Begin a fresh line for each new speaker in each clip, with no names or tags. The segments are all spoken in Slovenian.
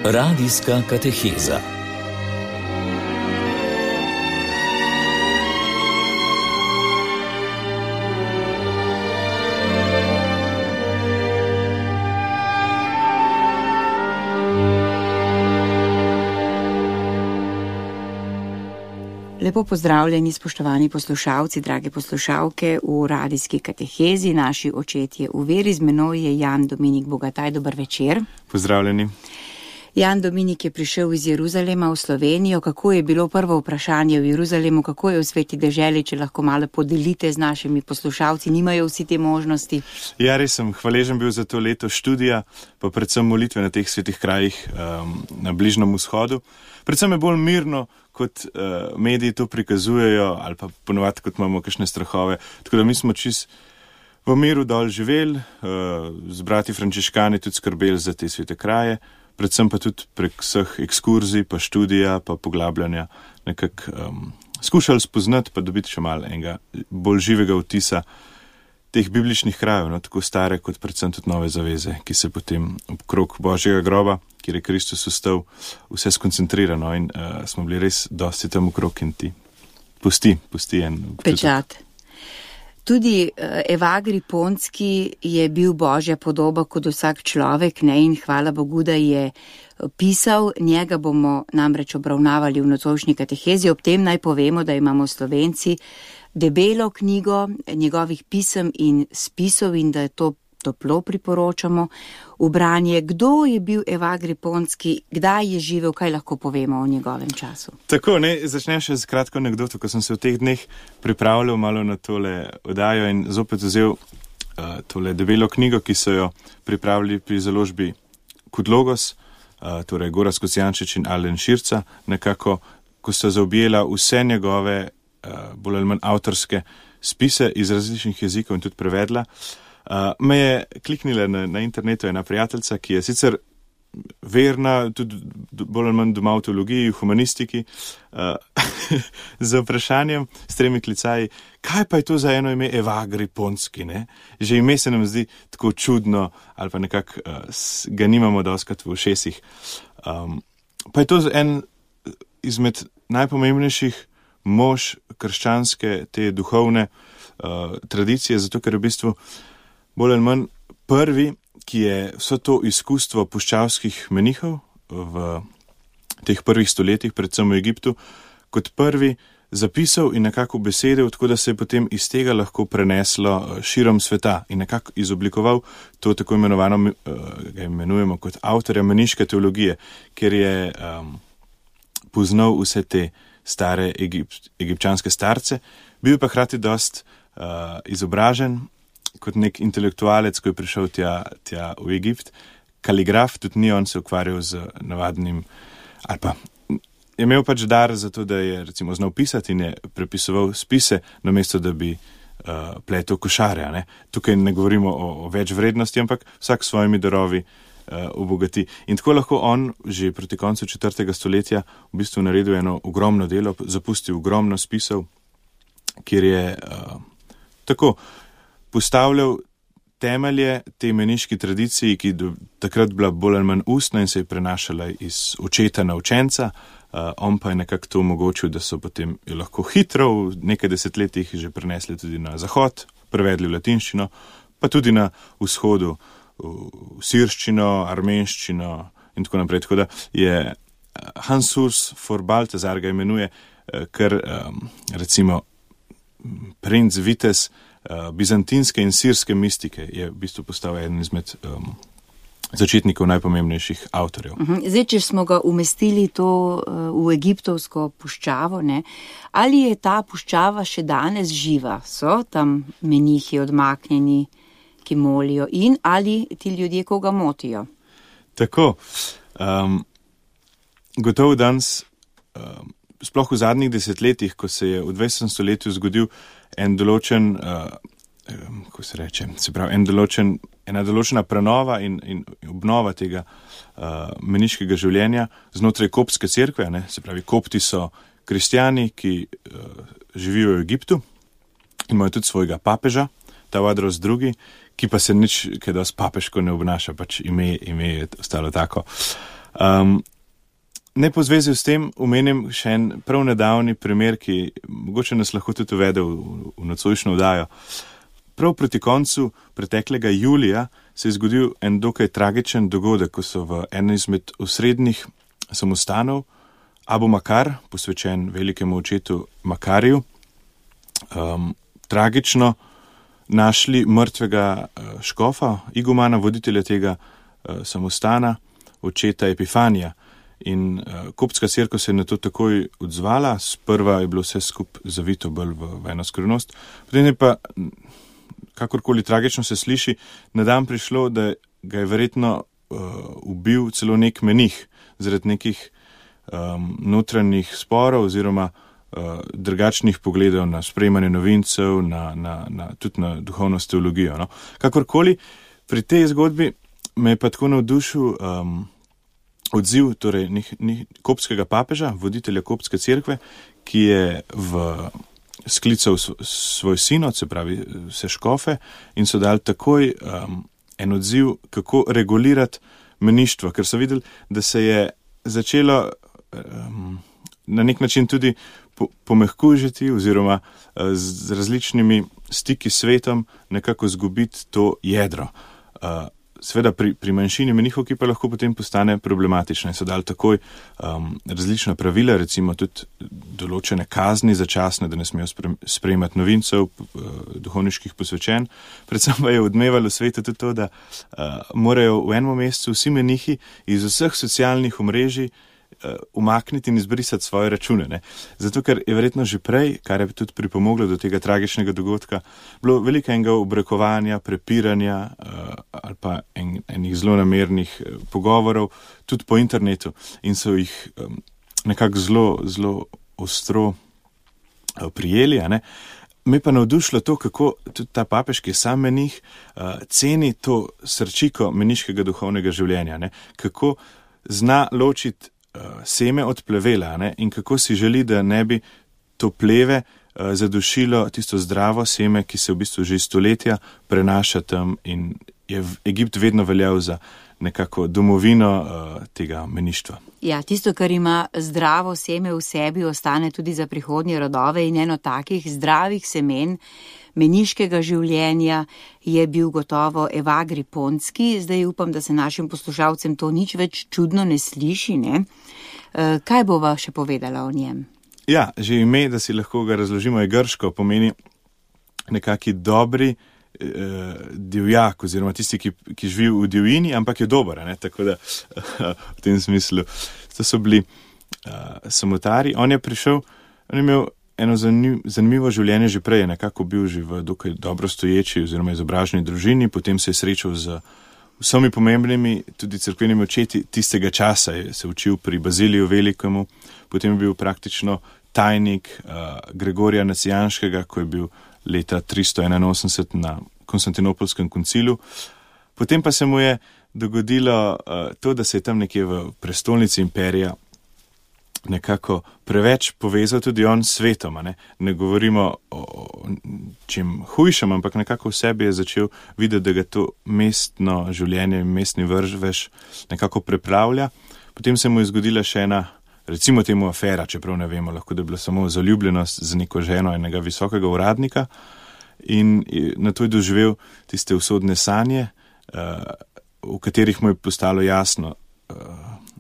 Radijska kateheza.
Lepo pozdravljeni, spoštovani poslušalci, drage poslušalke v radijski katehezi. Naši očetje v veri, z menoj je Jan Dominik Bogataj. Dober večer.
Pozdravljeni.
Jan Dominik je prišel iz Jeruzalema v Slovenijo. Kako je bilo prvo vprašanje v Jeruzalemu, kako je v sveti deželi, če lahko malo podelite z našimi poslušalci, nimajo vsi te možnosti?
Ja, res sem hvaležen bil za to leto študija, pa predvsem molitve na teh svetih krajih na Bližnjem vzhodu. Predvsem je bolj mirno, kot mediji to prikazujejo, ali pa ponovadi, kot imamo kakšne strahove. Tako da mi smo čist v miru dol živeli, z brati frančiškani tudi skrbeli za te svete kraje, predvsem pa tudi prek vseh ekskurzij, pa študija, pa poglabljanja nekako skušali spoznati, pa dobiti še malo enega bolj živega vtisa teh bibličnih krajev, no, tako stare kot predvsem tudi nove zaveze, ki se potem okrog Božjega groba, kjer je Kristus vstal, vse skonsentrirano in smo bili res dosti tam okrog in ti pusti en
pečat. Tudi Evagri Ponski je bil Božja podoba kot vsak človek, ne, in hvala Bogu, da je pisal. Njega bomo namreč obravnavali v nocojšnji katehezi. Ob tem naj povemo, da imamo Slovenci debelo knjigo njegovih pisem in spisov in da to toplo priporočamo v branje. Kdo je bil Evagri Ponski, kdaj je živel, kaj lahko povemo o njegovem času?
Tako, začnem še z kratko anekdoto, ko sem se v teh dneh pripravljal malo na tole oddajo in zopet vzel tole debelo knjigo, ki so jo pripravili pri založbi Kudlogos, torej Gorazd Kocijančič in Alen Širca, nekako, ko sta zaobjela vse njegove bolj ali manj avtorske spise iz različnih jezikov in tudi prevedla. Me je kliknila na internetu ena prijateljica, ki je sicer verna, tudi bolj ali manj doma v teologiji, v humanistiki, z vprašanjem, s 3 klicaji, kaj pa je to za eno ime Evagri Ponski, ne? Že ime se nam zdi tako čudno, ali pa nekako ga nimamo dostikrat v ušesih. Pa je to en izmed najpomembnejših mož krščanske, te duhovne tradicije, zato ker je v bistvu bolj ali manj prvi, ki je vso to izkustvo puščavskih menihov v teh prvih stoletjih, predvsem v Egiptu, kot prvi zapisal in nekako besedil, tako da se je potem iz tega lahko preneslo širom sveta in nekako izoblikoval to tako imenovano, ga imenujemo kot avtorja meniške teologije, ker je poznal vse te stare egipčanske starce, bil pa hkrati dost izobražen kot nek intelektualec, ko je prišel tja v Egipt. Kaligraf, tudi ni on se ukvarjal z navadnim, ali pa je imel pač dar za to, da je recimo znal pisati in je prepisoval spise, namesto da bi pletel košarja. Ne? Tukaj ne govorimo o več vrednosti, ampak vsak s svojimi darovi obogati. In tako lahko on že proti koncu 4. stoletja v bistvu naredil eno ogromno delo, zapustil ogromno spisov, kjer je tako postavljal temelje tej meniški tradiciji, ki takrat bila bolj ali manj ustna in se je prenašala iz očeta na učenca. On pa je nekako to omogočil, da so potem jo lahko hitro v nekaj desetletjih že prenesli tudi na zahod, prevedli v latinščino, pa tudi na vzhodu v sirščino, armenščino in tako naprej. Tako da je Hans Urs for Balthasar ga imenuje, ker recimo princ Vitez bizantinske in sirske mistike je v bistvu postal eden izmed začetnikov najpomembnejših avtorjev.
Zdaj, če smo ga umestili to v egiptovsko puščavo, ne, ali je ta puščava še danes živa? So tam menihi odmaknjeni, ki molijo, in ali ti ljudje koga motijo?
Tako, gotovo danes, sploh v zadnjih desetletjih, ko se je v 20. stoletju zgodil en določen, kako se reče, se pravi, ena določena prenova in obnova tega meniškega življenja znotraj koptske cerkve, ne? Se pravi, kopti so kristjani, ki živijo v Egiptu, imajo tudi svojega papeža, Tawadros II, ki pa se nič kaj dosti papeško ne obnaša, pač ime je ostalo tako. Ne po zvezi s tem omenim še en prav nedavni primer, ki mogoče nas lahko tudi uvede v nocojšnjo vdajo. Prav proti koncu preteklega julija se je zgodil en dokaj tragičen dogodek, ko so v enem izmed osrednjih samostanov Abu Makar, posvečen velikemu očetu Makariju, tragično našli mrtvega škofa, igumana, voditelja tega samostana, očeta Epifanija. In koptska cerkev se je na to takoj odzvala, sprva je bilo vse skup zavito bolj v eno skrivnost, potem je pa, kakorkoli tragično se sliši, na dan prišlo, da ga je verjetno ubil celo nek menih zaradi nekih notranjih sporov oziroma drugačnih pogledov na sprejemanje novincev, tudi na duhovnost teologijo. No. Kakorkoli, pri tej zgodbi me je pa tako navdušil odziv torej koptskega papeža, voditelja koptske cerkve, ki je sklical svoj sinod, se pravi vse škofe, in so dali takoj en odziv, kako regulirati meništvo, ker so videli, da se je začelo na nek način tudi pomehkužiti oziroma z različnimi stiki s svetom nekako zgubiti to jedro. Seveda pri manjšini menihov, ki pa lahko potem postane problematična, so dali takoj različna pravila, recimo tudi določene kazni začasne, da ne smejo sprejemati novincev, duhovniških posvečenj. Predvsem pa je odmevalo svetu tudi to, da morajo v enem mesecu vsi menihi iz vseh socialnih omrežij umakniti in izbrisati svoje račune. Ne? Zato, ker je verjetno že prej, kar je tudi pripomoglo do tega tragičnega dogodka, bilo veliko enega obrekovanja, prepiranja ali pa enih zelo namernih pogovorov tudi po internetu in so jih nekako zelo ostro prijeli. A ne? Me pa navdušilo to, kako tudi ta papež, ki je sam menih, ceni to srčiko meniškega duhovnega življenja, ne? Kako zna ločiti seme od plevela, ne? In kako si želi, da ne bi to pleve zadušilo tisto zdravo seme, ki se v bistvu že stoletja prenaša tam in je Egipt vedno veljal za nekako domovino tega meništva.
Ja, tisto, kar ima zdravo seme v sebi, ostane tudi za prihodnje rodove in eno takih zdravih semen meniškega življenja je bil gotovo Evagri Ponski. Zdaj upam, da se našim poslušalcem to nič več čudno ne sliši, ne? Kaj bova še povedala o njem?
Ja, že ime, da si lahko ga razložimo, je grško, pomeni nekaki dobri divjak oziroma tisti, ki živi v divjini, ampak je dober, ne? Tako da v tem smislu to so bili samotari. On je prišel, on je imel eno zanimivo življenje že prej, nekako bil že v dokaj dobro stoječi oziroma izobraženi družini, potem se je srečal z vsemi pomembnimi, tudi cerkvenimi očeti tistega časa, je se učil pri Baziliju Velikemu, potem je bil praktično tajnik Gregorija Nacijanskega, ko je bil leta 381 na Konstantinopolskem koncilu. Potem pa se mu je dogodilo to, da se je tam nekje v prestolnici imperija nekako preveč povezal tudi on s svetom. Ne govorimo o čem hujšem, ampak nekako v sebi je začel videti, da ga to mestno življenje, mestni vrvež nekako prepravlja. Potem se mu je zgodila še ena, recimo temu afera, čeprav ne vemo, lahko da je bila samo zaljubljenost z neko ženo enega visokega uradnika in na to je doživel tiste usodne sanje, v katerih mu je postalo jasno,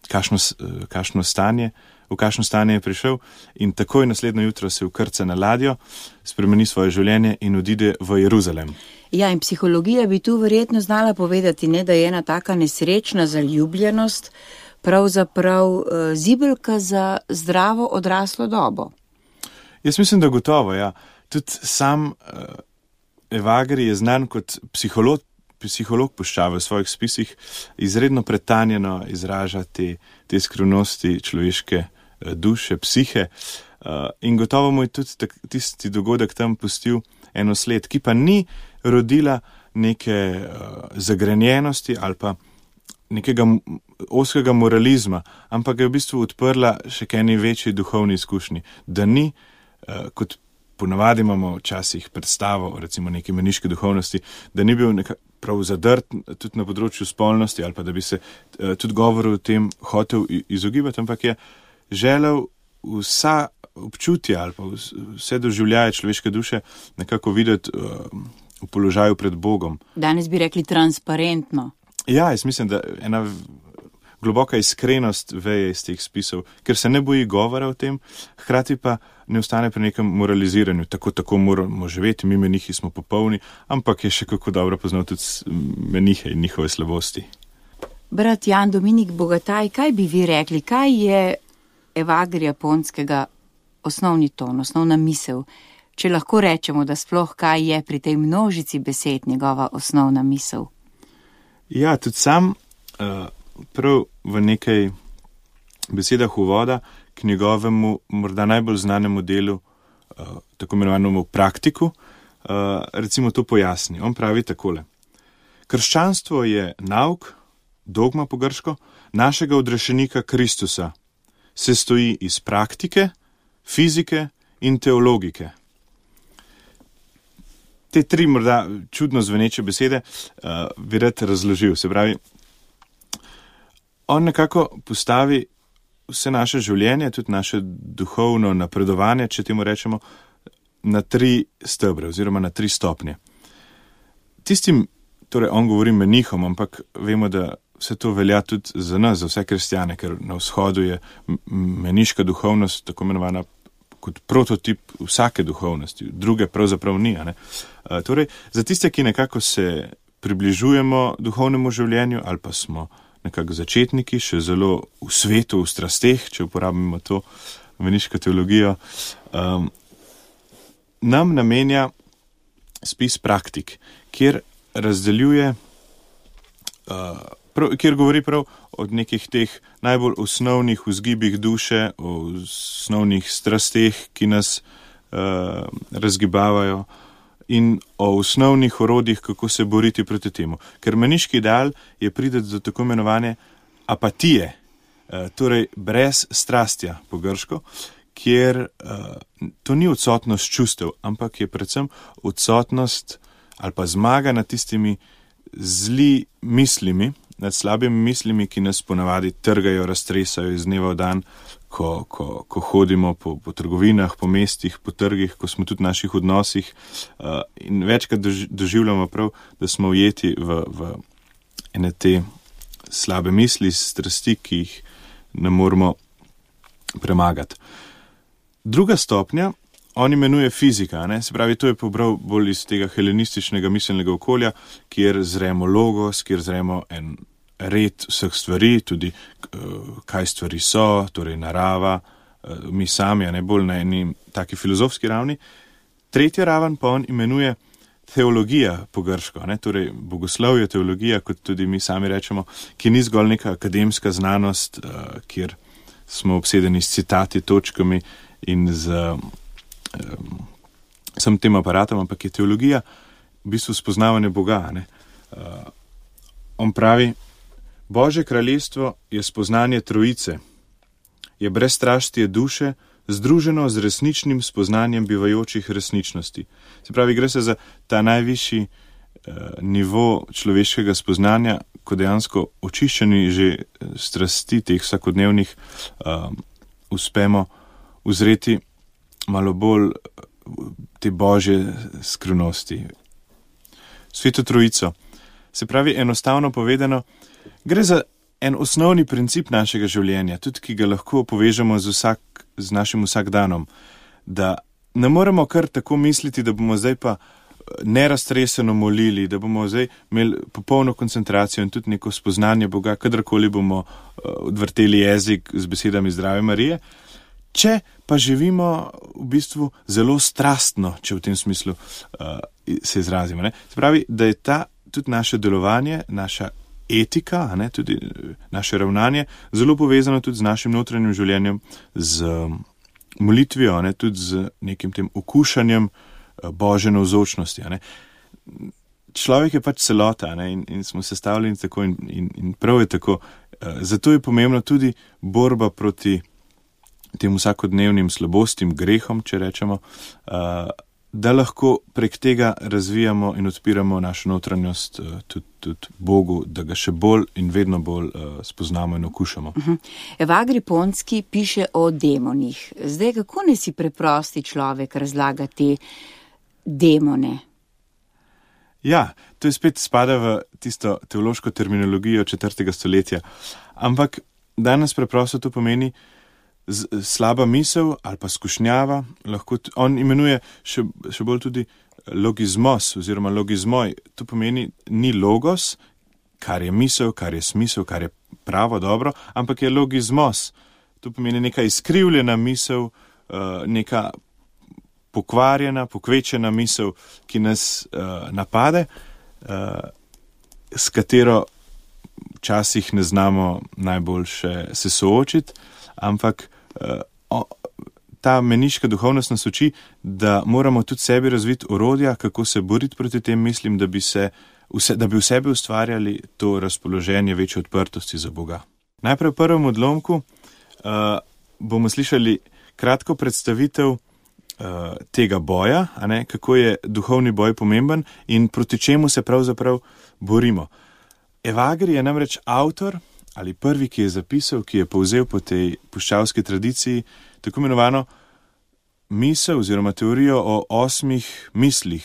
kakšno stanje, v kakšno stanje je prišel in takoj naslednjo jutro se vkrca na ladjo, spremeni svoje življenje in odide v Jeruzalem.
Ja, in psihologija bi tu verjetno znala povedati, ne, da je ena taka nesrečna zaljubljenost pravzaprav zibelka za zdravo odraslo dobo.
Jaz mislim, da gotovo, ja. Tudi sam Evagri je znan kot psiholog puščave v svojih spisih, izredno pretanjeno izraža te skrivnosti človeške duše, psihe in gotovo mu je tudi tisti dogodek tam pustil eno sled, ki pa ni rodila neke zagrenjenosti ali pa nekega ozkega moralizma, ampak ga je v bistvu odprla še k eni večji duhovni izkušnji, da ni, kot ponavadi imamo včasih predstavo, recimo neke meniške duhovnosti, da ni bil prav zadrt tudi na področju spolnosti ali pa da bi se tudi govoril o tem hotel izogibati, ampak je želel vsa občutja ali pa vse doživljaje človeške duše nekako videti v položaju pred Bogom.
Danes bi rekli transparentno.
Ja, jaz mislim, da ena globoka iskrenost veje iz teh spisov, ker se ne boji govora o tem, hkrati pa ne ostane pri nekem moraliziranju. Tako moramo živeti, mi menihi smo popolni, ampak je še kako dobro poznal tudi menihe in njihove slabosti.
Brat Jan Dominik Bogataj, kaj bi vi rekli, kaj je Evagarija Ponskega osnovni ton, osnovna misel? Če lahko rečemo, da sploh kaj je pri tej množici besed njegova osnovna misel?
Ja, tudi sam prav v nekaj besedah uvoda k njegovemu morda najbolj znanemu delu, tako imenovanemu praktiku, recimo to pojasni. On pravi takole. Krščanstvo je nauk, dogma po grško, našega odrešenika Kristusa. Se stoji iz praktike, fizike in teologike. Te tri morda čudno zveneče besede bi rad razložil. Se pravi, on nekako postavi vse naše življenje, tudi naše duhovno napredovanje, če temu rečemo, na 3 stebre oziroma na 3 stopnje. Tistim, torej on govori menihom, ampak vemo, da vse to velja tudi za nas, za vse kristjane, ker na vzhodu je meniška duhovnost tako imenovana kot prototip vsake duhovnosti, druge pravzaprav ni. Torej, za tiste, ki nekako se približujemo duhovnemu življenju ali pa smo nekako začetniki, še zelo v svetu, v strasteh, če uporabimo to meniško teologijo, nam namenja spis praktik, kjer razdeljuje, kjer govori prav od nekih teh najbolj osnovnih vzgibih duše, o osnovnih strasteh, ki nas razgibavajo, in o osnovnih orodjih, kako se boriti proti temu. Ker meniški ideal je prideti do tako imenovane apatije, torej brez strastja po grško, kjer to ni odsotnost čustev, ampak je predvsem odsotnost ali pa zmaga nad tistimi zli mislimi, nad slabimi mislimi, ki nas ponavadi trgajo, raztresajo iz dneva v dan, ko hodimo po trgovinah, po mestih, po trgih, ko smo tudi v naših odnosih in večkrat doživljamo prav, da smo ujeti v ene te slabe misli, strasti, ki jih ne moremo premagati. Druga stopnja, on imenuje fizika, se pravi, to je pobral bolj iz tega helenističnega miselnega okolja, kjer zremo logos, kjer zremo en red vseh stvari, tudi kaj stvari so, torej narava, mi sami, bolj na eni taki filozofski ravni. Tretja raven pa on imenuje teologija po grško, torej bogoslovje, teologija, kot tudi mi sami rečemo, ki ni zgolj neka akademska znanost, kjer smo obsedeni s citati, točkami in z samim tem aparatom, ampak je teologija v bistvu spoznavanje Boga. On pravi, Božje kraljestvo je spoznanje trojice, je brezstraštje duše, združeno z resničnim spoznanjem bivajočih resničnosti. Se pravi, gre se za ta najvišji nivo človeškega spoznanja, ko dejansko očiščeni že strasti teh vsakodnevnih uspemo uzreti malo bolj te Božje skrivnosti. Sveto trojico. Se pravi, enostavno povedano, gre za en osnovni princip našega življenja, tudi ki ga lahko povežemo z našim vsakdanom, da ne moremo kar tako misliti, da bomo zdaj pa neraztreseno molili, da bomo zdaj imeli popolno koncentracijo in tudi neko spoznanje Boga, kadarkoli bomo odvrteli jezik z besedami Zdrave Marije, če pa živimo v bistvu zelo strastno, če v tem smislu se izrazimo. Se pravi, da je tudi naše delovanje, naša etika, tudi naše ravnanje, zelo povezano tudi z našim notranjim življenjem, z molitvijo, tudi z nekim tem okušanjem Božje navzočnosti. Človek je pač celota in smo sestavljeni tako in prav je tako. Zato je pomembno tudi borba proti tem vsakodnevnim slabostim, grehom, če rečemo, da lahko prek tega razvijamo in odpiramo našo notranjost tudi Bogu, da ga še bolj in vedno bolj spoznamo in okušamo.
Evagri Ponski piše o demonih. Zdaj, kako ne si preprosti človek razlaga te demone?
Ja, to je spet spada v tisto teološko terminologijo 4. stoletja. Ampak danes preprosto to pomeni slaba misel ali pa skušnjava. Lahko on imenuje še bolj tudi logizmos oziroma logizmoj. To pomeni ni logos, kar je misel, kar je smisel, kar je pravo, dobro, ampak je logizmos. To pomeni neka izkrivljena misel, neka pokvarjena, pokvečena misel, ki nas napade, s katero včasih ne znamo najboljše se soočiti, ampak ta meniška duhovnost nas uči, da moramo tudi sebi razviti orodja, kako se boriti proti tem mislim, da bi v sebi ustvarjali to razpoloženje večje odprtosti za Boga. Najprej v prvem odlomku bomo slišali kratko predstavitev tega boja, kako je duhovni boj pomemben in proti čemu se pravzaprav borimo. Evagri je namreč avtor ali prvi, ki je zapisal, ki je povzel po tej puščavski tradiciji tako imenovano misel oziroma teorijo o 8 mislih,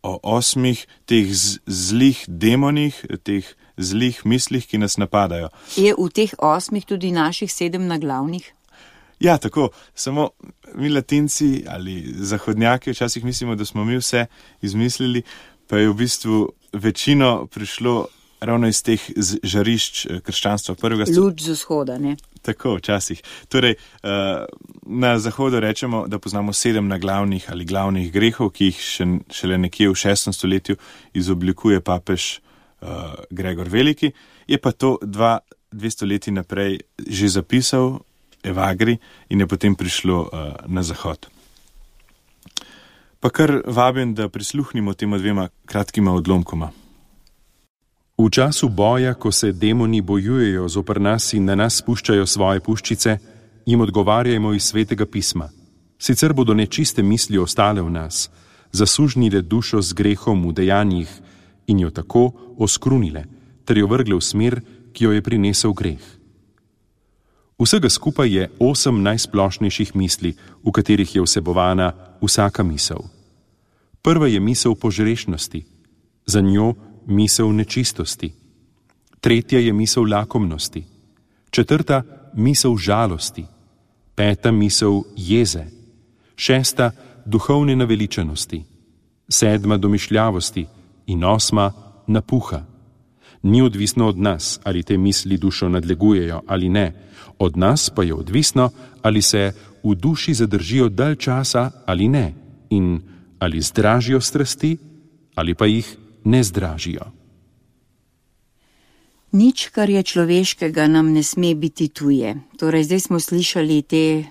o 8 teh zlih demonih, teh zlih mislih, ki nas napadajo.
Je v teh 8 tudi naših 7 naglavnih?
Ja, tako. Samo mi Latinci ali zahodnjaki včasih mislimo, da smo mi vse izmislili, pa je v bistvu večino prišlo ravno iz teh žarišč krščanstva prvega stoletja.
Luč z vzhoda, ne?
Tako, včasih. Torej, na zahodu rečemo, da poznamo 7 naglavnih ali glavnih grehov, ki jih šele nekje v 6. stoletju izoblikuje papež Gregor Veliki. Je pa to 2 stoletji naprej že zapisal Evagri in je potem prišlo na zahod. Pa kar vabim, da prisluhnimo tema 2 kratkima odlomkoma.
V času boja, ko se demoni bojujejo zoper nas in na nas spuščajo svoje puščice, jim odgovarjajmo iz Svetega pisma. Sicer bodo nečiste misli ostale v nas, zasužnile dušo z grehom v dejanjih in jo tako oskrunile, ter jo vrgle v smer, ki jo je prinesel greh. Vsega skupaj je 8 najsplošnejših misli, v katerih je vsebovana vsaka misel. Prva je misel požrešnosti, za njo misel nečistosti. Tretja je misel lakomnosti. 4. misel žalosti. 5. misel jeze. 6. duhovne naveličanosti. 7. domišljavosti in 8. napuha. Ni odvisno od nas, ali te misli dušo nadlegujejo ali ne. Od nas pa je odvisno, ali se v duši zadržijo dalj časa ali ne in ali zdražijo strasti ali pa jih ne zdražijo.
Nič, kar je človeškega, nam ne sme biti tuje. Torej, zdaj smo slišali te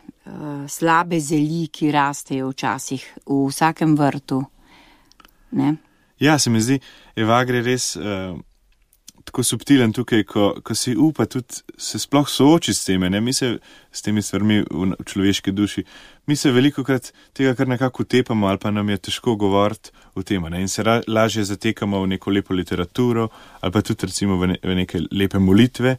slabe zeli, ki rastejo včasih v vsakem vrtu. Ne?
Ja, se mi zdi, Evagri res tako subtilen tukaj, ko si upa tudi se sploh soočiti s teme, ne? Mi se s temi stvarmi v človeški duši, mi se velikokrat tega kar nekako utepamo ali pa nam je težko govoriti o tem, ne? In se lažje zatekamo v neko lepo literaturo ali pa tudi recimo v neke lepe molitve.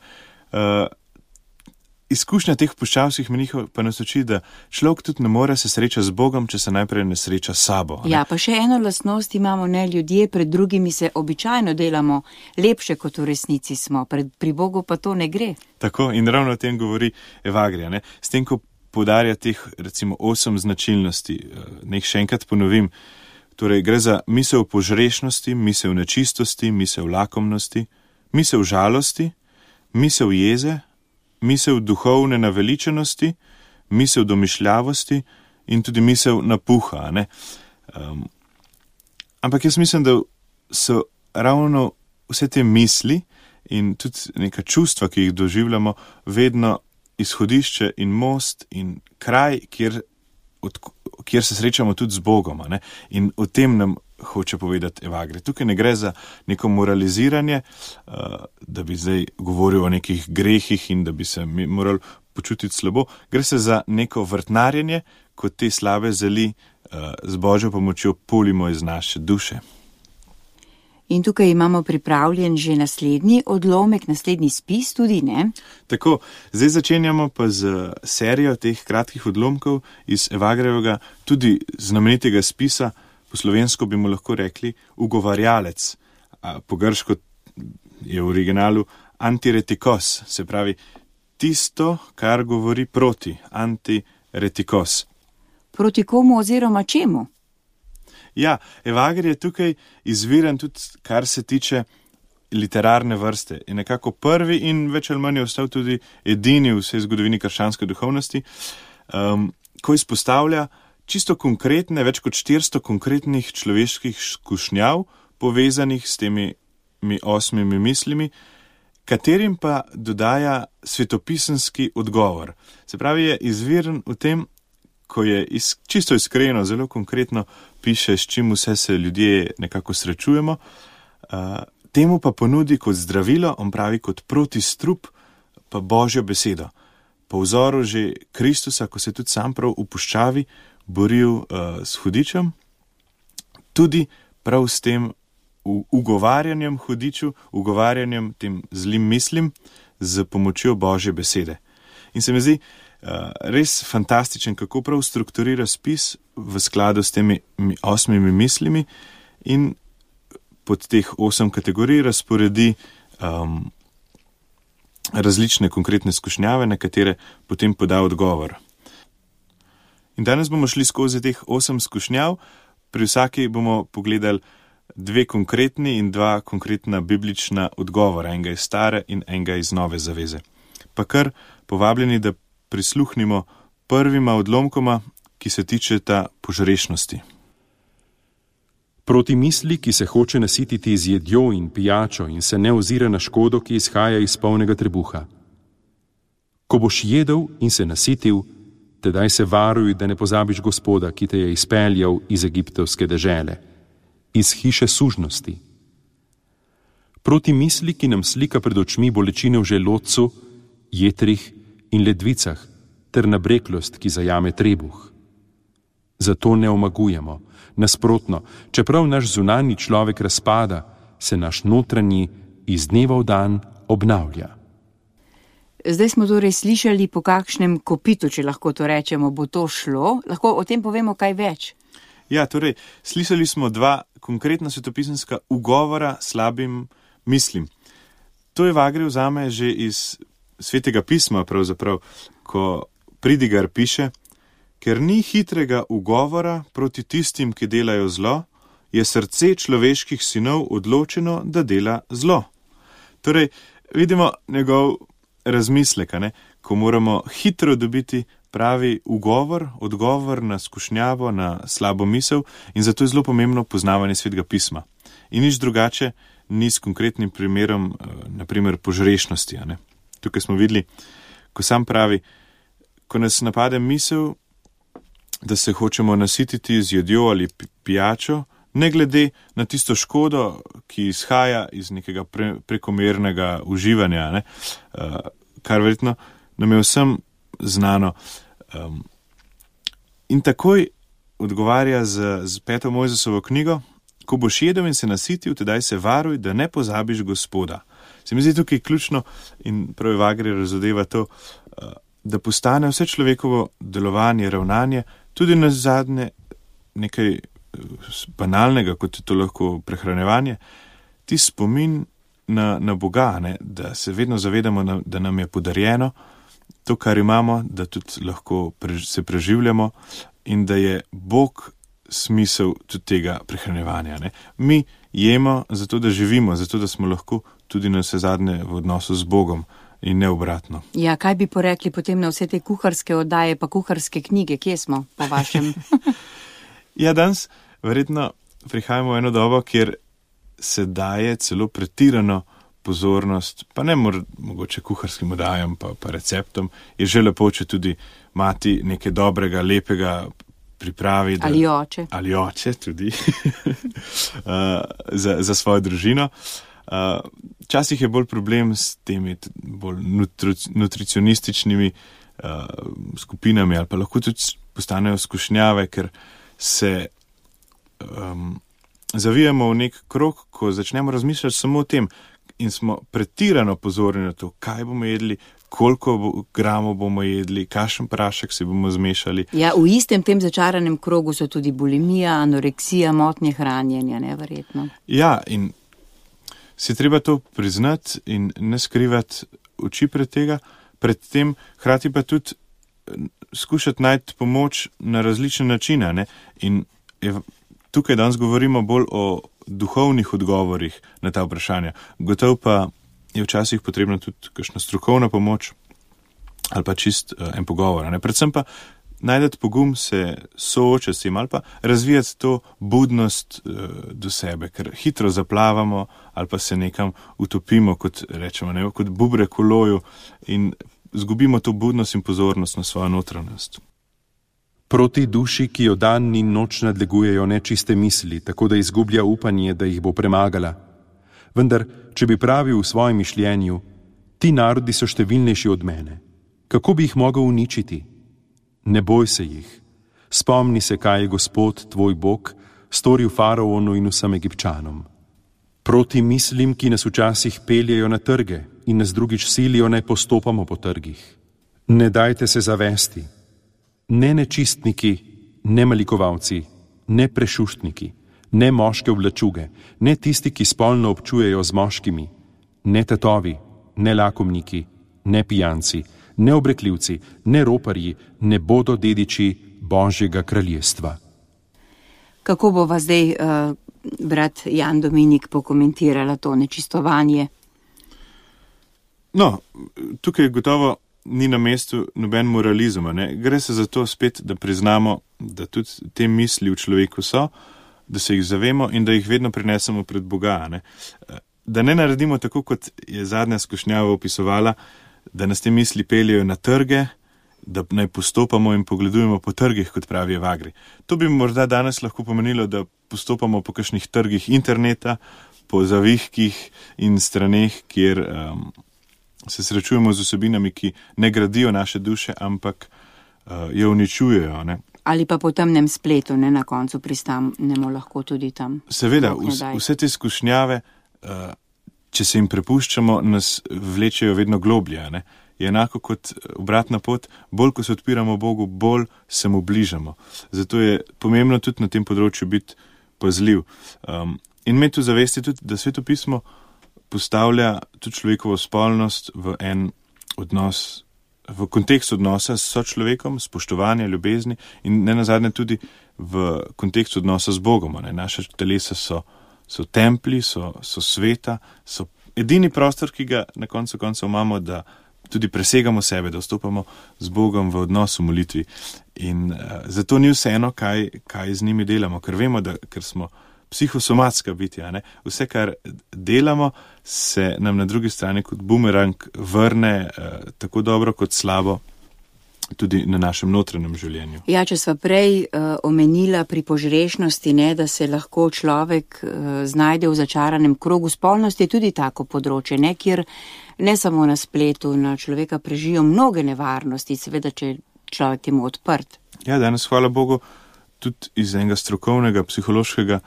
Izkušnja teh puščavskih menihov pa nas uči, da človek tudi ne more se srečati z Bogom, če se najprej ne sreča s sabo. Ne?
Ja, pa še eno lastnost imamo, ne, ljudje pred drugimi se običajno delamo lepše, kot v resnici smo, pri Bogu pa to ne gre.
Tako, in ravno o tem govori Evagrija, ne? S tem, ko poudarja teh recimo 8 značilnosti, nek še enkrat ponovim, torej gre za misel požrešnosti, misel nečistosti, misel lakomnosti, misel žalosti, misel jeze, misel duhovne naveličanosti, misel domišljavosti in tudi misel napuha. Ne? Ampak jaz mislim, da so ravno vse te misli in tudi neka čustva, ki jih doživljamo, vedno izhodišče in most in kraj, kjer se srečamo tudi z Bogom. Ne? In o tem nam hoče povedati Evagri. Tukaj ne gre za neko moraliziranje, da bi zdaj govoril o nekih grehih in da bi se mi morali počutiti slabo, gre se za neko vrtnarjenje, ko te slabe zeli z Božjo pomočjo polimo iz naše duše.
In tukaj imamo pripravljen že naslednji odlomek, naslednji spis tudi, ne?
Tako, zdaj začenjamo pa z serijo teh kratkih odlomkov iz Evagrejevega, tudi znamenitega spisa, po slovensko bi mu lahko rekli ugovarjalec, po grško je v originalu antiretikos, se pravi tisto, kar govori proti, antiretikos.
Proti komu oziroma čemu?
Ja, Evagrej je tukaj izviren tudi, kar se tiče literarne vrste. Je nekako prvi in več ali manj je ostal tudi edini v vsej zgodovini krščanske duhovnosti, ko izpostavlja čisto konkretne, več kot 400 konkretnih človeških skušnjav, povezanih s temi 8 mislimi, katerim pa dodaja svetopisemski odgovor. Se pravi, je izviren v tem, ko je čisto iskreno, zelo konkretno piše, s čim vse se ljudje nekako srečujemo, temu pa ponudi kot zdravilo, on pravi kot protistrup, pa Božjo besedo. Po vzoru že Kristusa, ko se tudi sam prav v puščavi boril s hudičem, tudi prav s tem ugovarjanjem hudiču, ugovarjanjem tem zlim mislim z pomočjo Božje besede. In se mi zdi res fantastičen, kako prav strukturira spis v skladu s temi 8 mislimi in pod teh 8 kategorij razporedi različne konkretne skušnjave, na katere potem poda odgovor. In danes bomo šli skozi teh 8 skušnjav, pri vsaki bomo pogledali 2 konkretni in 2 konkretna biblična odgovora, enega iz stare in enega iz nove zaveze. Pa kar povabljeni, da prisluhnimo prvima odlomkoma, ki se tičeta požrešnosti.
Proti misli, ki se hoče nasititi z jedjo in pijačo in se ne ozira na škodo, ki izhaja iz polnega trebuha. Ko boš jedel in se nasitil, tedaj se varuj, da ne pozabiš Gospoda, ki te je izpeljal iz egiptovske dežele, iz hiše sužnosti. Proti misli, ki nam slika pred očmi bolečine v želodcu, jetrih in ledvicah, ter nabreklost, ki zajame trebuh. Zato ne omagujemo. Nasprotno, čeprav naš zunanji človek razpada, se naš notranji iz dneva v dan obnavlja.
Zdaj smo torej slišali, po kakšnem kopitu, če lahko to rečemo, bo to šlo. Lahko o tem povemo kaj več?
Ja, torej, slišali smo 2 konkretna svetopisemska ugovora slabim mislim. To Evagrej vzame že iz Svetega pisma, pravzaprav, ko Pridigar piše, ker ni hitrega ugovora proti tistim, ki delajo zlo, je srce človeških sinov odločeno, da dela zlo. Torej, vidimo njegov razmislek, ko moramo hitro dobiti pravi odgovor na skušnjavo, na slabo misel, in zato je zelo pomembno poznavanje Svetega pisma. In nič drugače ni s konkretnim primerom, naprimer požrešnosti. Tukaj smo videli, ko sam pravi, ko nas napade misel, da se hočemo nasititi z jedjo ali pijačo, ne glede na tisto škodo, ki izhaja iz nekega prekomernega uživanja, kar verjetno nam je vsem znano. In takoj odgovarja z 5. Mojzesovo knjigo, ko boš jedel in se nasitil, tedaj se varuj, da ne pozabiš Gospoda. Se mi zdi tukaj ključno in prav Evagrej razodeva to, da postane vse človekovo delovanje, ravnanje, tudi na zadnje nekaj banalnega, kot je to lahko prehranjevanje, ti spomin na Boga, da se vedno zavedamo, da nam je podarjeno to, kar imamo, da tudi lahko se preživljamo in da je Bog smisel tudi tega prehranjevanja. Mi jemo zato, da živimo, zato, da smo lahko tudi na vse zadnje v odnosu z Bogom in ne obratno.
Ja, kaj bi porekli potem na vse te kuharske oddaje pa kuharske knjige? Kje smo po vašem?
Ja, danes verjetno prihajamo v eno dobo, kjer se daje celo pretirano pozornost, pa ne mogoče kuharskim oddajam pa receptom, je že lepo, če tudi mati nekaj dobrega, lepega pripravi. Ali oče tudi za svojo družino. Včasih je bolj problem s temi bolj nutricionističnimi skupinami ali pa lahko tudi postanejo skušnjave, ker se zavijamo v nek krog, ko začnemo razmišljati samo o tem in smo pretirano pozorni na to, kaj bomo jedli, koliko gramov bomo jedli, kakšen prašek si bomo zmešali.
Ja, v istem tem začaranem krogu so tudi bulimija, anoreksija, motnje hranjenja, neverjetno.
Ja, in si treba to priznati in ne skrivati oči pred tem, hkrati pa tudi skušati najti pomoč na različne načine. Ne? In tukaj danes govorimo bolj o duhovnih odgovorih na ta vprašanja. Gotovo pa je včasih potrebna tudi kakšna strokovna pomoč ali pa čist en pogovor. Ne? Predvsem pa najdeti pogum se soočati s tem ali pa razvijati to budnost do sebe, ker hitro zaplavamo ali pa se nekam utopimo, kot rečemo, ne? Kot bubrek v loju in zgubimo to budnost in pozornost na svojo notranjost.
Proti duši, ki jo dan in noč nadlegujejo nečiste misli, tako da izgublja upanje, da jih bo premagala. Vendar, če bi pravil v svojem mišljenju, ti narodi so številnejši od mene, kako bi jih mogel uničiti? Ne boj se jih. Spomni se, kaj je Gospod, tvoj Bog, storil faraonu in vsem Egipčanom. Proti mislim, ki nas včasih peljejo na trge in nas drugič silijo, naj postopamo po trgih. Ne dajte se zavesti. Ne nečistniki, ne malikovalci, ne prešuštniki, ne moške oblačuge, ne tisti, ki spolno občujejo z moškimi, ne tatovi, ne lakomniki, ne pijanci, ne obrekljivci, ne roparji ne bodo dediči Božjega kraljestva.
Kako bova zdaj, brat Jan Dominik, pokomentirala to nečistovanje?
No, tukaj gotovo ni na mestu noben moralizem. Ne? Gre se za to spet, da priznamo, da tudi te misli v človeku so, da se jih zavemo in da jih vedno prinesemo pred Boga. Ne? Da ne naredimo tako, kot je zadnja skušnjava opisovala, da nas te misli peljejo na trge, da naj postopamo in pogledujemo po trgih, kot pravi Evagri. To bi morda danes lahko pomenilo, da postopamo po kakšnih trgih interneta, po zavihkih in straneh, kjer se srečujemo z vsebinami, ki ne gradijo naše duše, ampak jo uničujejo. Ne?
Ali pa po temnem spletu, ne, na koncu pristanemo lahko tudi tam.
Seveda, vse te skušnjave, če se jim prepuščamo, nas vlečejo vedno globlje. Ne? Je enako kot obratna pot, bolj ko se odpiramo Bogu, bolj se mu bližamo. Zato je pomembno tudi na tem področju biti pazljiv. In imeti v zavesti tudi, da Sveto pismo postavlja tudi človekovo spolnost v en odnos, v kontekst odnosa s sočlovekom, spoštovanja, ljubezni in ne nazadnje tudi v kontekst odnosa z Bogom. Ne? Naše telesa so templi, so sveta, so edini prostor, ki ga na koncu koncev imamo, da tudi presegamo sebe, da vstopamo z Bogom v odnos v molitvi. In zato ni vseeno, kaj z njimi delamo, ker vemo, ker smo psihosomatska bitja. Ne? Vse, kar delamo, se nam na drugi strani kot bumerang vrne tako dobro kot slabo tudi na našem notranjem življenju.
Ja, če sva prej omenila pri požrešnosti, ne, da se lahko človek znajde v začaranem krogu spolnosti, je tudi tako področje, ne, kjer ne samo na spletu na človeka prežijo mnoge nevarnosti, seveda, če je človek temu odprt. Ja,
danes, hvala Bogu, tudi iz enega strokovnega, psihološkega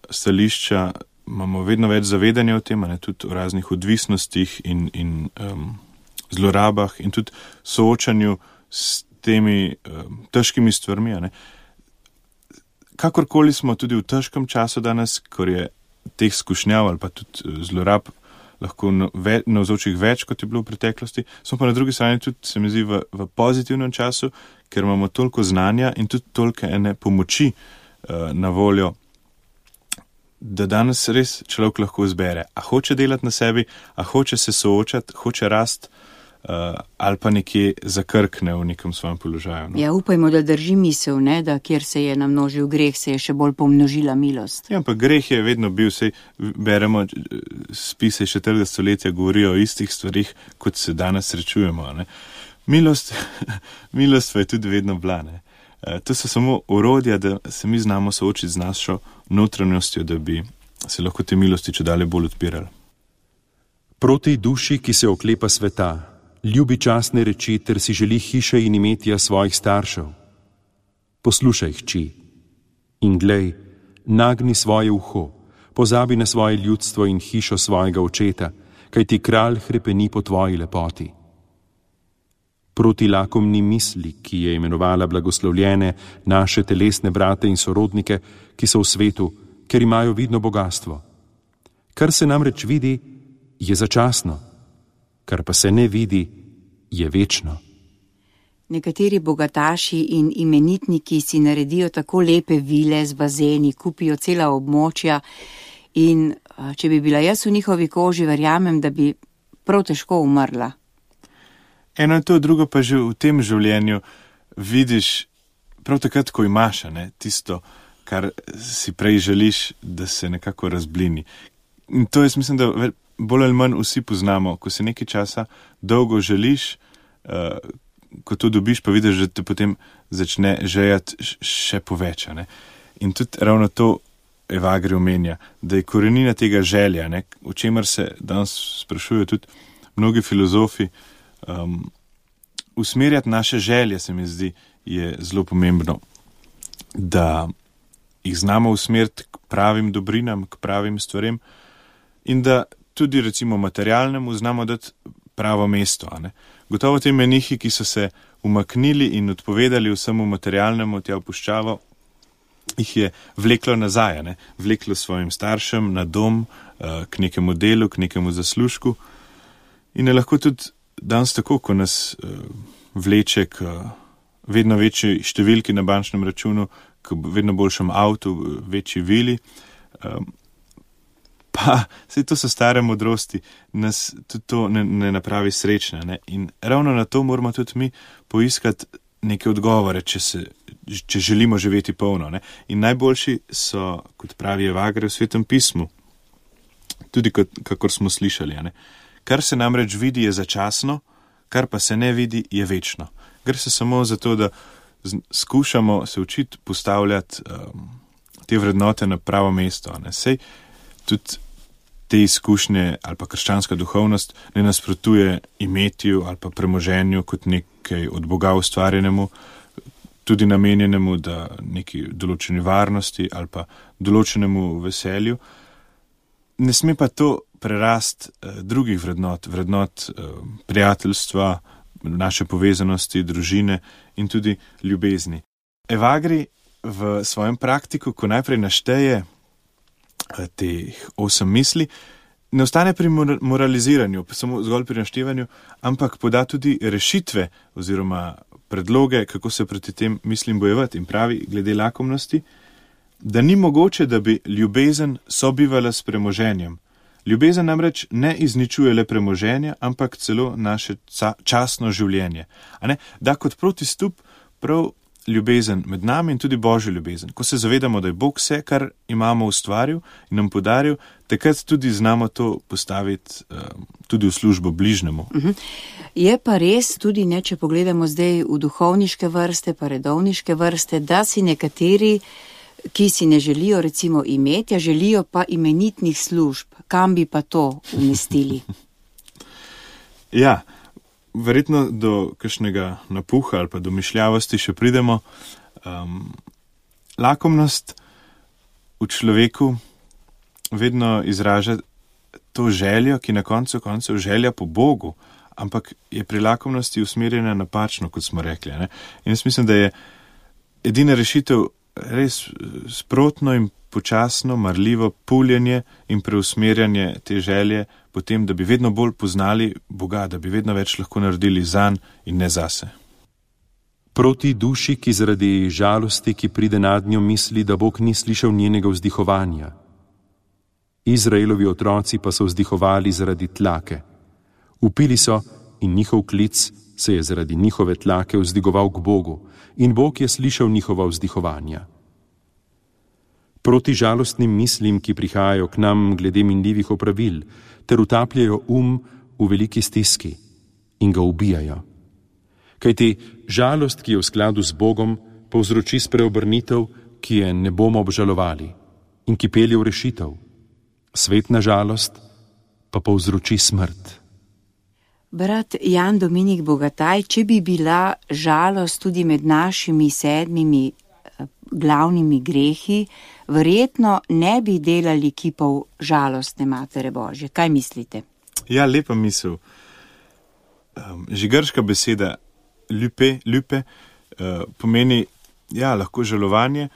stališča imamo vedno več zavedanja o tem, ne, tudi o raznih odvisnostih in zlorabah in tudi soočanju s temi težkimi stvarmi. Ne. Kakorkoli smo tudi v težkem času danes, ko je teh skušnjav ali pa tudi zlorab lahko navzočih več, kot je bilo v preteklosti, smo pa na drugi strani tudi, se mi zdi, v pozitivnem času, ker imamo toliko znanja in tudi toliko ene pomoči na voljo, da danes res človek lahko izbere, a hoče delati na sebi, a hoče se soočati, hoče rast, ali pa nekje zakrkne v nekem svojem položaju. No?
Ja, upajmo, da drži misel, ne, da kjer se je namnožil greh, se je še bolj pomnožila milost.
Ja, pa greh je vedno bil, sej beremo spise 4. stoletja, govorijo o istih stvarih, kot se danes srečujemo. Ne? Milost pa je tudi vedno bila. Ne? To so samo orodja, da se mi znamo soočiti z našo notranjostjo, da bi se lahko te milosti čedalje bolj odpirali.
Proti duši, ki se oklepa sveta, ljubi častne reči, ter si želi hiše in imetja svojih staršev. Poslušaj, hči, in glej, nagni svoje uho, pozabi na svoje ljudstvo in hišo svojega očeta, kajti kralj hrepeni po tvoji lepoti. Proti lakomni misli, ki je imenovala blagoslovljene naše telesne brate in sorodnike, ki so v svetu, ker imajo vidno bogatstvo. Kar se namreč vidi, je začasno, kar pa se ne vidi, je večno.
Nekateri bogataši in imenitniki si naredijo tako lepe vile z bazeni, kupijo cela območja in če bi bila jaz v njihovi koži, verjamem, da bi prav težko umrla.
Eno in to, drugo pa že v tem življenju vidiš prav takrat, ko imaš, ne, tisto, kar si prej želiš, da se nekako razblini. In to jaz mislim, da bolj ali manj vsi poznamo, ko se nekaj časa dolgo želiš, ko to dobiš, pa vidiš, da te potem začne žejati še poveča. Ne. In tudi ravno to Evagri omenja, da je korenina tega želja, ne, o čemer se danes sprašujejo tudi mnogi filozofi. Usmerjati naše želje, se mi zdi, je zelo pomembno, da jih znamo usmeriti k pravim dobrinam, k pravim stvarem in da tudi recimo materialnemu znamo dati pravo mesto. Ne? Gotovo te menihi, ki so se umaknili in odpovedali vsemu materialnemu, tja v puščavo, jih je vleklo nazaj, ne? Vleklo svojim staršem na dom, k nekemu delu, k nekemu zaslužku in je lahko tudi danes tako, ko nas vleče k vedno večji številki na bančnem računu, k vedno boljšem avtu, večji vili. Pa saj to so stare modrosti, nas tudi to ne napravi srečne. Ne? In ravno na to moramo tudi mi poiskati neke odgovore, če želimo živeti polno. Ne? In najboljši so, kot pravi Evagri v Svetem pismu, tudi kakor smo slišali. Ne? Kar se namreč vidi, je začasno, kar pa se ne vidi, je večno. Gre se samo za to, da skušamo se učiti postavljati te vrednote na pravo mesto. Ne? Sej tudi te izkušnje ali pa krščanska duhovnost ne nasprotuje imetju ali pa premoženju kot nekaj od Boga ustvarjenemu, tudi namenjenemu da neki določeni varnosti ali pa določenemu veselju. Ne sme pa to prerast drugih vrednot prijateljstva, naše povezanosti, družine in tudi ljubezni. Evagri v svojem praktiku, ko najprej našteje teh 8 misli, ne ostane pri moraliziranju, samo zgolj pri naštevanju, ampak poda tudi rešitve oziroma predloge, kako se proti tem mislim bojevati in pravi glede lakomnosti, da ni mogoče, da bi ljubezen sobivala s premoženjem. Ljubezen namreč ne izničuje le premoženja, ampak celo naše častno življenje. Da kot protistup prav ljubezen med nami in tudi Božja ljubezen. Ko se zavedamo, da je Bog vse, kar imamo ustvaril in nam podaril, takrat tudi znamo to postaviti tudi v službo bližnjemu.
Je pa res tudi, ne, če pogledamo zdaj v duhovniške vrste, pa redovniške vrste, da si nekateri, ki si ne želijo recimo imetja, želijo pa imenitnih služb. Kam bi pa to umestili?
Ja, verjetno do kakšnega napuha ali pa do mišljavosti še pridemo. Lakomnost v človeku vedno izraža to željo, ki na koncu koncev želja po Bogu, ampak je pri lakomnosti usmerjena napačno, kot smo rekli. Ne? In jaz mislim, da je edina rešitev res sprotno in počasno, marljivo puljenje in preusmerjanje te želje potem, da bi vedno bolj poznali Boga, da bi vedno več lahko naredili zanj in ne zase.
Proti duši, ki zaradi žalosti, ki pride nad njo, misli, da Bog ni slišal njenega vzdihovanja. Izraelovi otroci pa so vzdihovali zaradi tlake. Vpili so in njihov klic se je zaradi njihove tlake vzdigoval k Bogu in Bog je slišal njihova vzdihovanja. Proti žalostnim mislim, ki prihajajo k nam glede minljivih opravil, ter utapljajo v veliki stiski in ga ubijajo. Kajti žalost, ki je v skladu z Bogom, povzroči spreobrnitev, ki je ne bomo obžalovali in ki pelje v rešitev. Svetna žalost pa povzroči smrt.
Brat Jan Dominik Bogataj, če bi bila žalost tudi med našimi 7 glavnimi grehi, verjetno ne bi delali kipov žalostne Matere Božje. Kaj mislite?
Ja, lepa misel. Že grška beseda ljupe pomeni, ja, lahko žalovanje,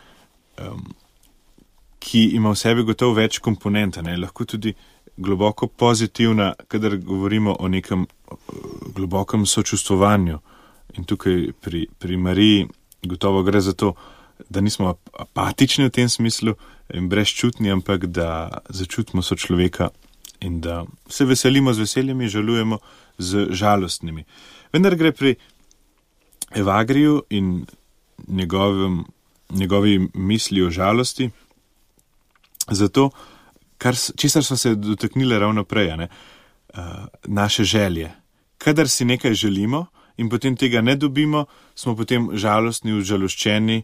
ki ima v sebi gotovo več komponenta, ne? Lahko tudi globoko pozitivna, kadar govorimo o nekem globokem sočustvovanju. In tukaj pri Mariji gotovo gre za to, da nismo apatični v tem smislu in brezčutni, ampak da začutimo sočloveka in da se veselimo z veseljem in žalujemo z žalostnimi. Vendar gre pri Evagriju in njegovi misli o žalosti zato, česar smo se dotaknili ravno prej, naše želje. Kadar si nekaj želimo in potem tega ne dobimo, smo potem žalostni, užaloščeni,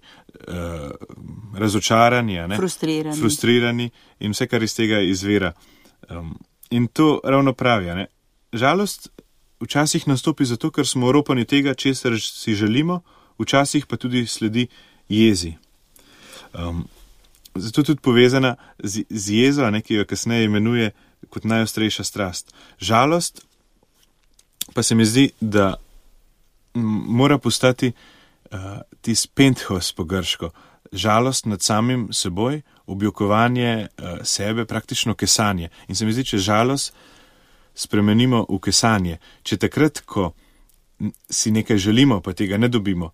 razočarani, frustrirani in vse, kar iz tega izvira. In to ravno pravi. Žalost včasih nastopi zato, ker smo oropani tega, česar si želimo, včasih pa tudi sledi jezi. Zato tudi povezana z jezo, ki jo kasneje imenuje kot najostrejša strast. Žalost pa se mi zdi, da mora postati tis penthos po grško. Žalost nad samim seboj, objokovanje sebe, praktično kesanje. In se mi zdi, če žalost spremenimo v kesanje, če takrat, ko si nekaj želimo, pa tega ne dobimo,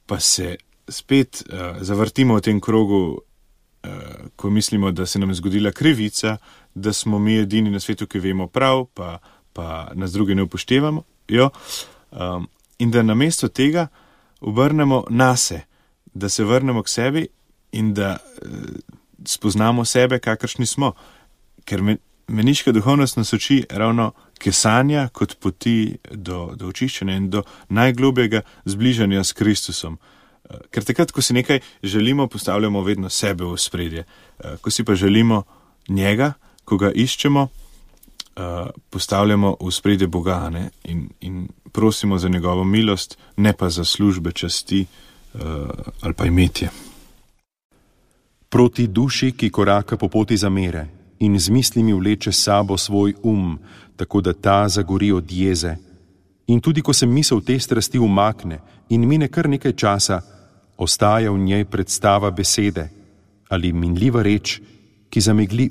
pa se spet zavrtimo v tem krogu, ko mislimo, da se nam je zgodila krivica, da smo mi edini na svetu, ki vemo prav, pa nas drugi ne upoštevamo, in da namesto tega obrnemo nase, da se vrnemo k sebi in da spoznamo sebe, kakršni smo. Ker meniška duhovnost nas uči ravno kesanja kot poti do očiščenja in do najglobjega zbližanja s Kristusom. Ker takrat, ko si nekaj želimo, postavljamo vedno sebe v ospredje. Ko si pa želimo njega, ko ga iščemo, postavljamo v ospredje Boga, in prosimo za njegovo milost, ne pa za službe, časti ali pa imetje.
Proti duši, ki koraka po poti zamere in z mislimi vleče sabo svoj tako da ta zagori od jeze. In tudi, ko se misel te strasti umakne in mine kar nekaj časa, ostaja v njej predstava besede ali minljiva reč, ki zamegli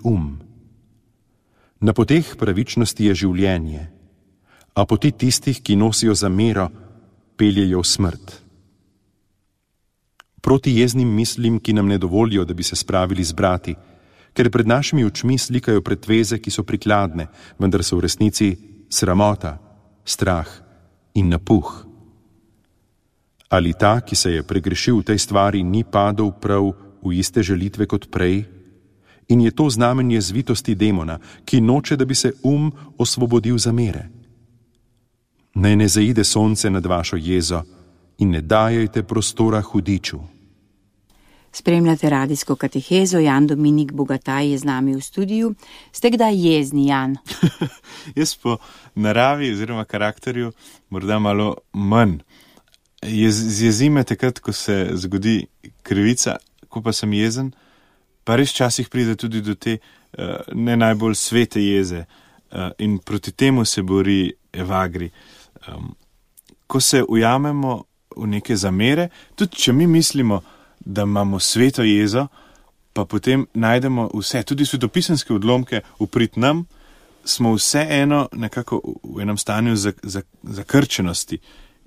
Na poteh pravičnosti je življenje, a poti tistih, ki nosijo zamero, peljejo v smrt. Proti jeznim mislim, ki nam ne dovolijo, da bi se spravili z brati, ker pred našimi očmi slikajo pretveze, ki so prikladne, vendar so v resnici sramota, strah in napuh. Ali ta, ki se je pregrešil v tej stvari, ni padel prav v iste želitve kot prej? In je to znamenje zvitosti demona, ki noče, da bi se osvobodil zamere. Naj ne zaide sonce nad vašo jezo in ne dajajte prostora hudiču.
Spremljate radijsko katehezo, Jan Dominik Bogataj je z nami v studiu. Ste kdaj jezni, Jan?
Jaz po naravi oziroma karakterju morda malo manj. Zjezi me takrat, ko se zgodi krivica, ko pa sem jezen, pa res časih pride tudi do te ne najbolj svete jeze in proti temu se bori Evagri. Ko se ujamemo v neke zamere, tudi če mi mislimo, da imamo sveto jezo, pa potem najdemo vse, tudi svetopisemske odlomke uprit nam, smo vseeno nekako v enem stanju zakrčenosti.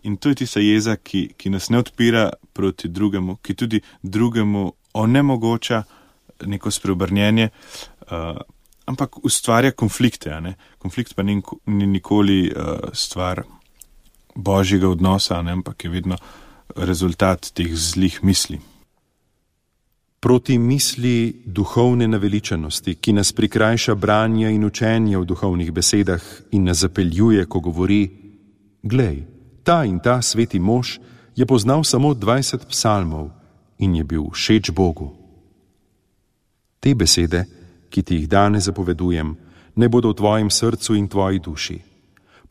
In to je tista jeza, ki nas ne odpira proti drugemu, ki tudi drugemu onemogoča neko spreobrnjenje, ampak ustvarja konflikte. Konflikt pa ni nikoli stvar božjega odnosa, ampak je vedno rezultat teh zlih misli.
Proti misli duhovne naveličanosti, ki nas prikrajša branja in učenja v duhovnih besedah in nas zapeljuje, ko govori: glej, ta in ta sveti mož je poznal samo 20 psalmov in je bil všeč Bogu. Te besede, ki ti jih danes zapovedujem, ne bodo v tvojem srcu in tvoji duši.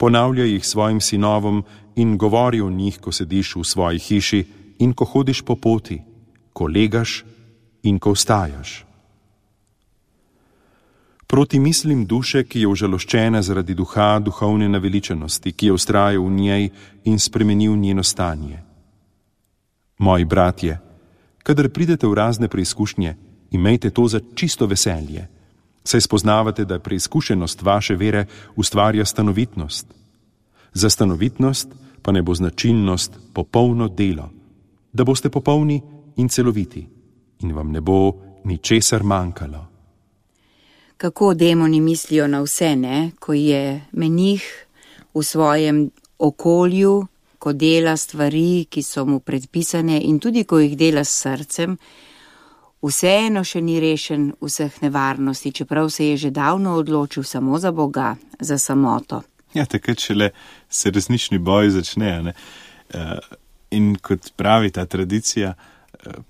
Ponavljaj jih svojim sinovom in govori o njih, ko sediš v svoji hiši in ko hodiš po poti, ko legaš in ko vstajaš. Proti mislim duše, ki je užaloščena zaradi duha duhovne naveličenosti, ki je vztrajal v njej in spremenil njeno stanje. Moji bratje, kadar pridete v razne preizkušnje, imejte to za čisto veselje, saj spoznavate, da preizkušenost vaše vere ustvarja stanovitnost. Za stanovitnost pa ne bo značilnost popolno delo, da boste popolni in celoviti in vam ne bo ničesar manjkalo.
Kako demoni mislijo na vse, ne? Ko je menih v svojem okolju, ko dela stvari, ki so mu predpisane in tudi ko jih dela s srcem, vseeno še ni rešen vseh nevarnosti, čeprav se je že davno odločil samo za Boga, za samoto.
Ja, takrat šele se resnični boj začne, ne? In kot pravi ta tradicija,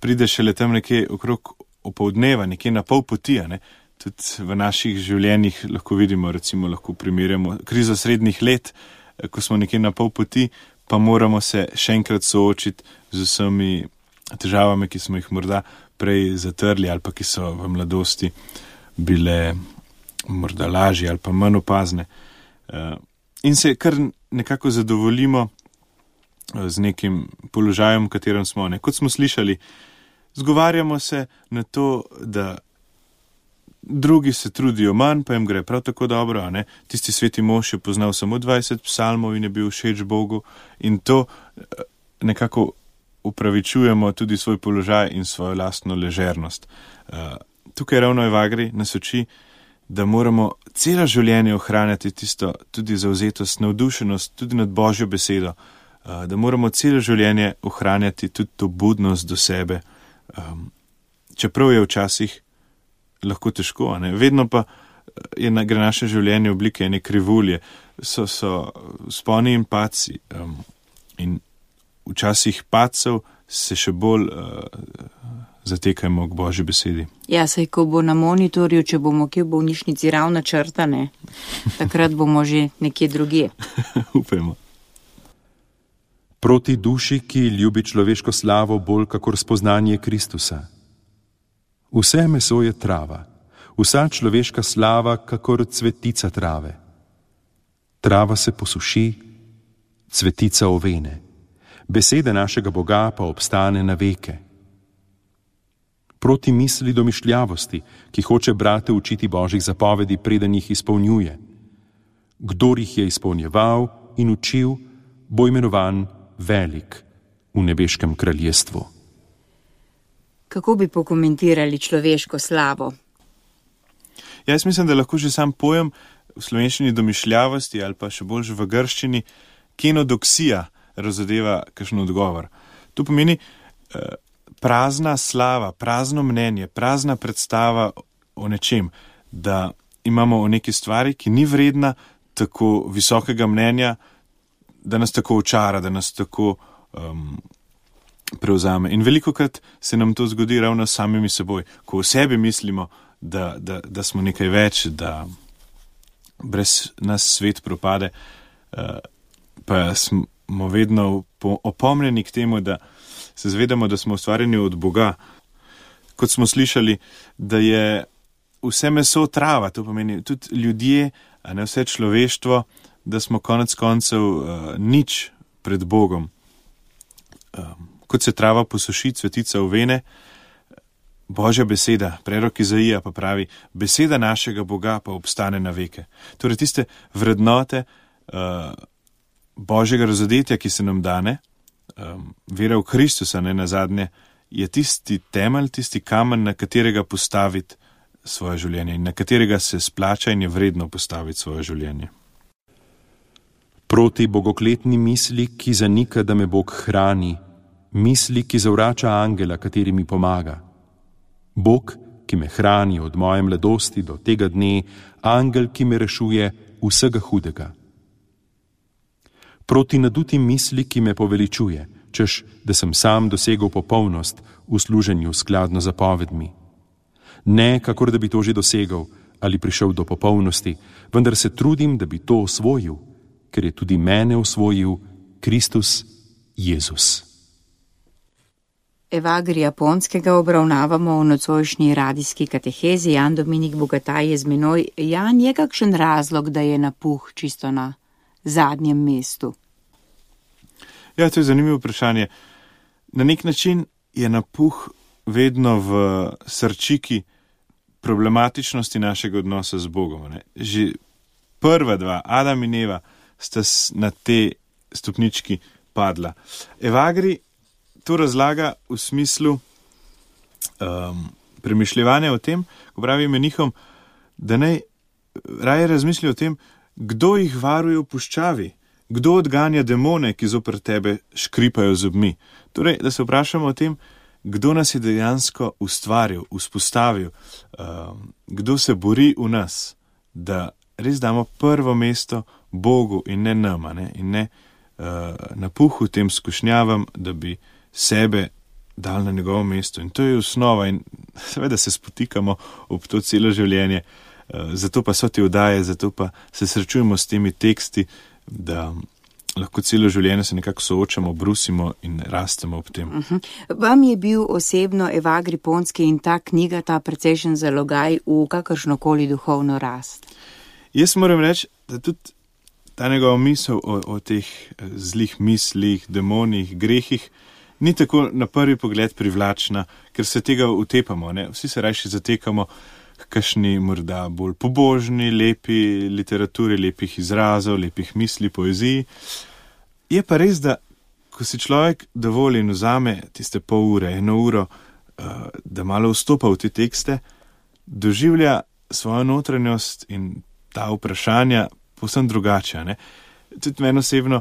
pride šele tam nekje okrog opoldneva, nekje na pol poti, ne? Tudi v naših življenjih lahko vidimo, recimo lahko primerjamo krizo srednjih let, ko smo nekje na pol poti, pa moramo se še enkrat soočiti z vsemi težavami, ki smo jih morda prej zatrli ali pa ki so v mladosti bile morda lažje ali pa manj opazne. In se kar nekako zadovoljimo z nekim položajem, v katerem smo. Ne? Kot smo slišali, zgovarjamo se na to, da drugi se trudijo manj, pa jim gre prav tako dobro, ne? Tisti sveti mož je poznal samo 20 psalmov in je bil všeč Bogu in to nekako upravičujemo tudi svoj položaj in svojo lastno ležernost. Tukaj ravno Evagri nas uči, da moramo celo življenje ohranjati tisto tudi zavzetost, navdušenost tudi nad Božjo besedo, da moramo celo življenje ohranjati tudi to budnost do sebe, čeprav je včasih lahko težko, ne? Vedno pa gre naše življenje v oblike ene krivulje, so sponi in padci in včasih padcev se še bolj zatekajmo k Božji besedi.
Ja, saj ko bo na monitorju, če bomo kje v bolnišnici ravna črta, ne, takrat bomo že nekje drugje.
Upajmo.
Proti duši, ki ljubi človeško slavo bolj kakor spoznanje Kristusa. Vse meso je trava, vsa človeška slava kakor cvetica trave. Trava se posuši, cvetica ovene, beseda našega Boga pa obstane na veke. Proti misli domišljavosti, ki hoče brate učiti Božjih zapovedi, preden jih izpolnjuje. Kdor jih je izpolnjeval in učil, bo imenovan velik v nebeškem kraljestvu.
Kako bi pokomentirali človeško slavo?
Jaz mislim, da lahko že sam pojem v slovenščini domišljavosti ali pa še bolj v grščini kenodoksija razodeva kakšen odgovor. To pomeni prazna slava, prazno mnenje, prazna predstava o nečem, da imamo o neki stvari, ki ni vredna tako visokega mnenja, da nas tako očara, da nas tako prevzame. In velikokrat se nam to zgodi ravno s samimi seboj, ko o sebi mislimo, da smo nekaj več, da brez nas svet propade, pa smo vedno opomnjeni k temu, da se zvedamo, da smo ustvarjeni od Boga. Kot smo slišali, da je vse meso trava, to pomeni tudi ljudje, a ne vse človeštvo, da smo konec koncev nič pred Bogom. Kot se trava posuši, cvetica ovene, Božja beseda, prerok Izaija pa pravi, beseda našega Boga pa obstane na veke. Torej tiste vrednote Božjega razodetja, ki se nam dane, vera v Kristusa, ne nazadnje, je tisti temelj, tisti kamen, na katerega postaviti svoje življenje in na katerega se splača in je vredno postaviti svoje življenje.
Proti bogokletni misli, ki zanika, da me Bog hrani, misli, ki zavrača angela, kateri mi pomaga. Bog, ki me hrani od moje mladosti do tega dne, angel, ki me rešuje vsega hudega. Proti nadutim misli, ki me poveličuje, češ, da sem sam dosegel popolnost v služenju skladno z zapovedmi. Ne, kakor da bi to že dosegel ali prišel do popolnosti, vendar se trudim, da bi to osvojil ker je tudi mene osvojil Kristus Jezus.
Evagrija Ponskega obravnavamo v nocojšnji radijski katehezi. Jan Dominik Bogataj je z menoj. Jan, je kakšen razlog, da je napuh čisto na zadnjem mestu?
Ja, to je zanimivo vprašanje. Na nek način je napuh vedno v srčiki problematičnosti našega odnosa z Bogom. Ne? Že prva dva, Adam in Eva, sta na te stopnički padla. Evagri to razlaga v smislu premišljevanja o tem, ko pravi menihom, da naj raje razmisli o tem, kdo jih varuje v puščavi, kdo odganja demone, ki zoper tebe škripajo zobmi. Torej, da se vprašamo o tem, kdo nas je dejansko ustvaril, vzpostavil, kdo se bori v nas, da res damo prvo mesto Bogu in ne nama, ne? In ne napuhu tem skušnjavam, da bi sebe dal na njegovo mesto. In to je osnova in seveda se spotikamo ob to celo življenje, zato pa so te oddaje, zato pa se srečujemo s temi teksti, da lahko celo življenje se nekako soočamo, brusimo in rastemo ob tem.
Vam je bil osebno Evagri Ponski in ta knjiga, ta precejšen zalogaj v kakršnokoli duhovno rast?
Jaz moram reči, da tudi ta njegova misel o teh zlih mislih, demonih, grehih ni tako na prvi pogled privlačna, ker se tega utepamo. Ne? Vsi se rajši zatekamo k kakšni morda bolj pobožni, lepi literaturi, lepih izrazov, lepih misli, poeziji. Je pa res, da ko si človek dovolj in vzame tiste pol ure, 1 uro, da malo vstopa v te tekste, doživlja svojo notranjost in ta vprašanja povsem drugače. Ne? Tudi meni osebno,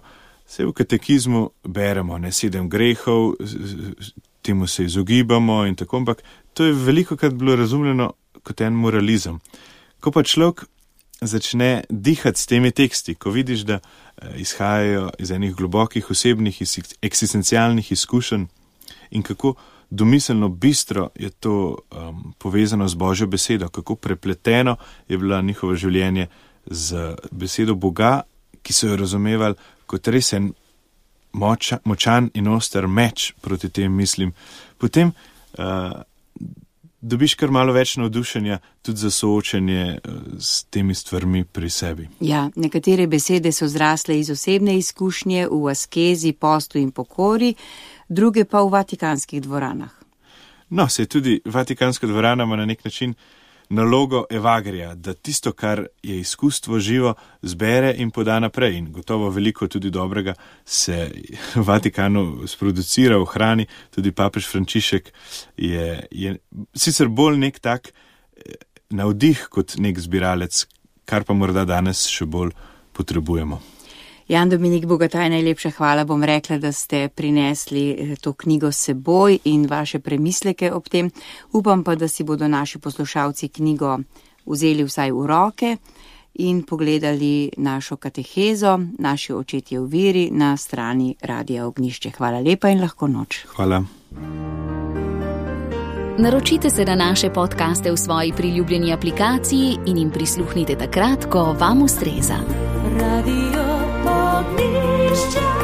se v katekizmu beremo, 7 grehov, temu se izogibamo in tako, ampak to je velikokrat bilo razumljeno kot en moralizem. Ko pa človek začne dihati s temi teksti, ko vidiš, da izhajajo iz enih globokih osebnih, eksistencialnih izkušenj in kako domiselno bistro je to povezano z Božjo besedo, kako prepleteno je bilo njihovo življenje z besedo Boga, ki so jo razumevali kot res en močan in oster meč proti tem mislim, potem dobiš kar malo več navdušenja tudi za soočenje s temi stvarmi pri sebi.
Ja, nekatere besede so zrasle iz osebne izkušnje v askezi, postu in pokori, druge pa v vatikanskih dvoranah.
No, se tudi vatikanska dvorana ima na nek način nalogo Evagrija, da tisto, kar je izkustvo živo, zbere in poda naprej. In gotovo veliko tudi dobrega se v Vatikanu sproducira, ohrani. Tudi papež Frančišek je sicer bolj nek tak navdih kot nek zbiralec, kar pa morda danes še bolj potrebujemo.
Jan Dominik Bogataj, najlepša hvala, bom rekla, da ste prinesli to knjigo s seboj in vaše premisleke ob tem. Upam pa, da si bodo naši poslušalci knjigo vzeli vsaj v roke in pogledali našo katehezo, naši očetje v veri na strani Radia Ognjišče. Hvala lepa in lahko noč.
Hvala.
Naročite se na naše podcaste v svoji priljubljeni aplikaciji in jim prisluhnite takrat, ko vam ustreza. Radio Ognjišče.